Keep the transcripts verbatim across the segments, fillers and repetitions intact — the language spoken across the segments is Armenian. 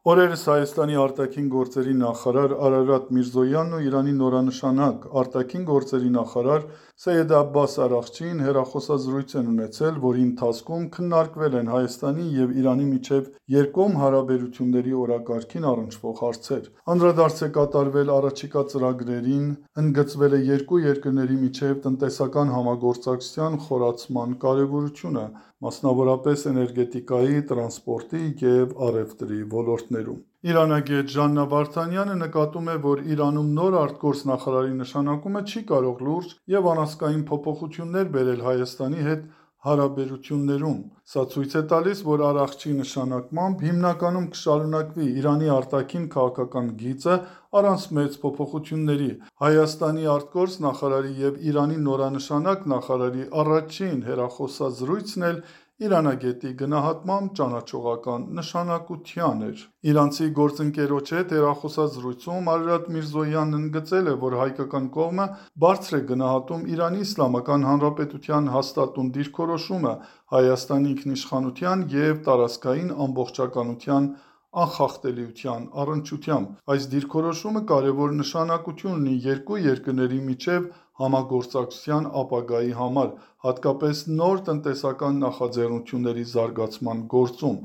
Օրերս Հայաստանի արտաքին գործերի նախարար Արարատ Միրզոյանն ու Իրանի նորանշանակ արտաքին գործերի նախարար Սեյեդ Աբբաս Արաղչին հեռախոսազրույց են ունեցել, որի ընթացքում քննարկվել են Հայաստանի և Իրանի միջև երկկողմ հարաբերությունների օրակարգին առնչվող հարցեր։ Անդրադարձ է կատարվել առաջիկա ծրագրերին, ընդգծվել է երկու երկրների միջև տնտեսական համագործակցության խորացման կարևորությունը, մասնավորապես էներգետիկայի, տրանսպորտի և առևտրի ոլորտներում։ Իրանագետ Ժաննա Վարդանյանը նկատում է, որ Իրանում նոր արտգործնախարարի նշանակումը չի կարող լուրջ և անասկային փոփոխություններ բերել Հայաստանի հետ հարաբերություններում։ Սա ցույց է տալիս, որ Արաղչիի նշանակմամբ հիմնականում կշարունակվի Իրանի արտաքին քաղաքական գիծը առանց մեծ փոփոխությունների։ Հայաստանի արտգործ նախարարի և Իրանի նորանշանակ նախարարի առաջին հեռախոսազրույցն էլ իրանագետի գնահատմամբ ճանաչողական նշանակության էր։ Իրանցի գործընկերոջ հետ հեռախոսազրույցում Արարատ Միրզոյանն ընդգծել է, որ հայկական կողմը բարձր է գնահատում Իրանի Իսլամական Հանրապետության հաստատուն դիրքորոշումը Հայաստանի ինքնիշխանության և տարածքային ամբողջականության անխախտելիության առնչությամբ։ Այս դիրքորոշումը կարևոր նշանակություն ունի երկու երկրների միջև համագործակցության ապագայի համար, հատկապես նոր տնտեսական նախաձեռնությունների զարգացման գործում։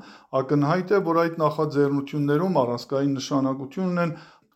Ակնհայտ է, որ այդ նախաձեռնություններում առանցքային նշանակություն ունեն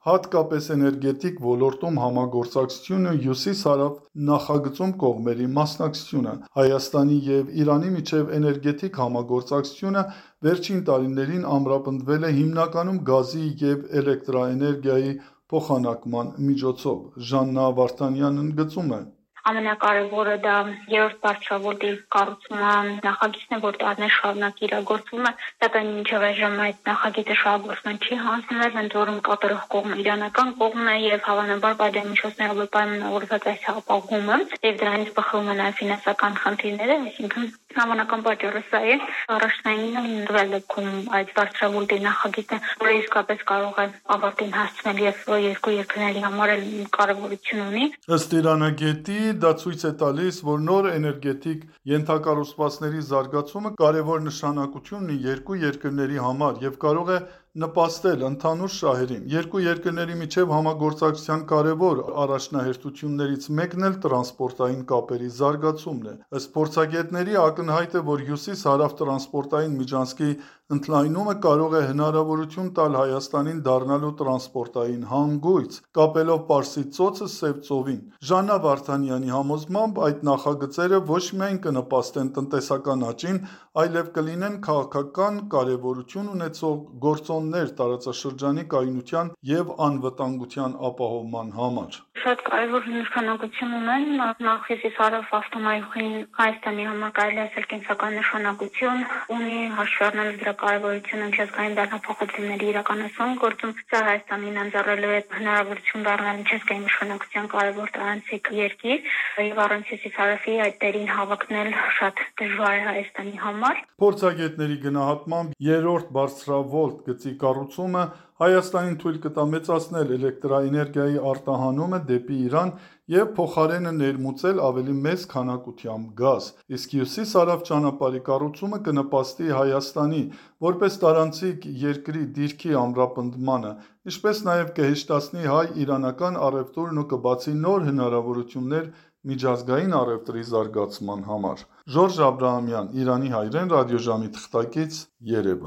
հատկապես էներգետիկ ոլորտում համագործակցությունն ու հյուսիս-հարավ նախագծում կողմերի մասնակցությունը։ Հայաստանի և Իրանի միջև էներգետիկ համագործակցությունը վերջին տարիներին ամրապնդվել է հիմնականում գազի և էլեկտրաէներգիայի փոխանակման միջոցով։ Ժաննա Վարդանյանն ընդգծում է. Ամենակարևորը դա երրորդ բարձրավոլտի կառուցումը նախագիծն է, որ տարիներ շարունակ իրագործվում է, սակայն մինչև այժմ այդ նախագիծը շահագործման չի հանձնվել, ընդ որում կատարող կողմը իրանական կողմն է եւ հավանաբար պատժամիջոցներով պայմանավորված այս հապաղումը եւ դրանից բխում են նաեւ ֆինանսական խնդիրները, այսինքն Համանական պատճառը սա է, առաջնային ընդվել դեպքում այդ բարձրավոլտի նախագիծը, որը իսկապես կարող է ավարտին հասցնել եւ երկու երկրների համար էլ կարեւորություն ունի։ Ըստ իրանագետի, դա ցույց է տալիս, որ նոր էներգետիկ ենթակառուցվածքների զարգացումը կարևոր նշանակություն ունի երկու երկրների համար եւ կարող է նպաստել ընդհանուր շահերին։ Երկու երկրների միջև համագործակցության կարևոր առաջնահերթություններից մեկն էլ տրանսպորտային կապերի զարգացումն է։ Ըստ փորձագետների, ակնհայտ է, որ հյուսիս-հարավ տրանսպորտային միջանցքի ընդլայնումը կարող է հնարավորություն տալ Հայաստանին դառնալու տրանսպորտային հանգույց՝ կապելով Պարսից ծոցը Սև ծովին։ Ժաննա Վարդանյանի համոզմամբ, այդ նախագծերը ոչ միայն կնպաստեն տնտեսական աճին, այլև կլինեն քաղաքական կարևորություն ունեցող գործոններ տարածաշրջանի կայունության և անվտանգության ապահովման համար։ Շատ կարևոր նշանակություն ունեն, նախ հյուսիս-հարավ ավտոմայրուղին Հայաստանի համար կարելի ասել կենսական նշանակություն ունի, հաշվի առնելով դրա կարևորությունը միջազգային բեռնափոխությունների իրականացման գործում, սա Հայաստանին ընձեռելու է հնարավորություն դառնալ միջազգային նշանակության կարևոր տարանցիկ երկիր, եւ առանց հյուսիս-հարավի այդ տերին հավակնել շատ դժվար է Հայաստանի համար։ Փորձագետների գնահատմամբ երրորդ բարձրավոլտ գծի կառուցումը Հայաստանին թույլ կտա մեծացնել էլեկտրաէներգիայի արտահանումը դեպի Իրան և փոխարենը ներմուծել ավելի մեծ քանակությամբ գազ, իսկ հյուսիս-հարավ ճանապարհի կառուցումը կնպաստի Հայաստանի որպես տարանցիկ երկրի դիրքի ամրապնդմանը, ինչպես նաև կհեշտացնի հայ-իրանական առևտուրն ու կբացի նոր հնարավորություններ միջազգային առևտրի զարգացման համար։ Ժորժ Աբրահամյան, Իրանի հայրեն, ռադիոժամի թղթակից, Երևան։